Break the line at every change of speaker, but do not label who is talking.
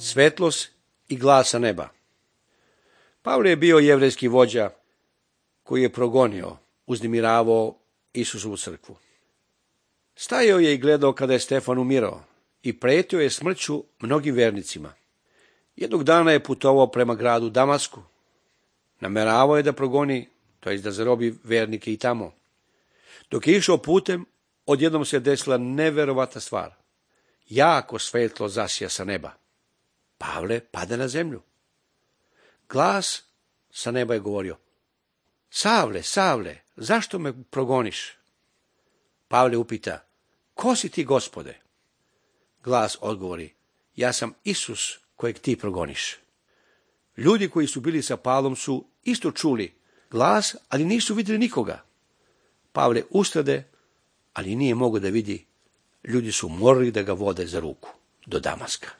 Svetlost i glasa neba. Pavle je bio jevrejski vođa koji je progonio, uznemiravao Isusovu crkvu. Stajao je i gledao kada je Stefan umirao i pretio je smrću mnogim vernicima. Jednog dana je putovao prema gradu Damasku. Nameravao je da progoni, to jest da zarobi vernike i tamo. Dok je išao putem, odjednom se desila neverovatna stvar. Jako svetlo zasija sa neba. Pavle pade na zemlju. Glas sa neba je govorio: Savle, Savle, zašto me progoniš? Pavle upita: Ko si ti, Gospode? Glas odgovori: Ja sam Isus kojeg ti progoniš. Ljudi koji su bili sa Pavlom su isto čuli glas, ali nisu vidjeli nikoga. Pavle ustade, ali nije mogao da vidi. Ljudi su morali da ga vode za ruku do Damaska.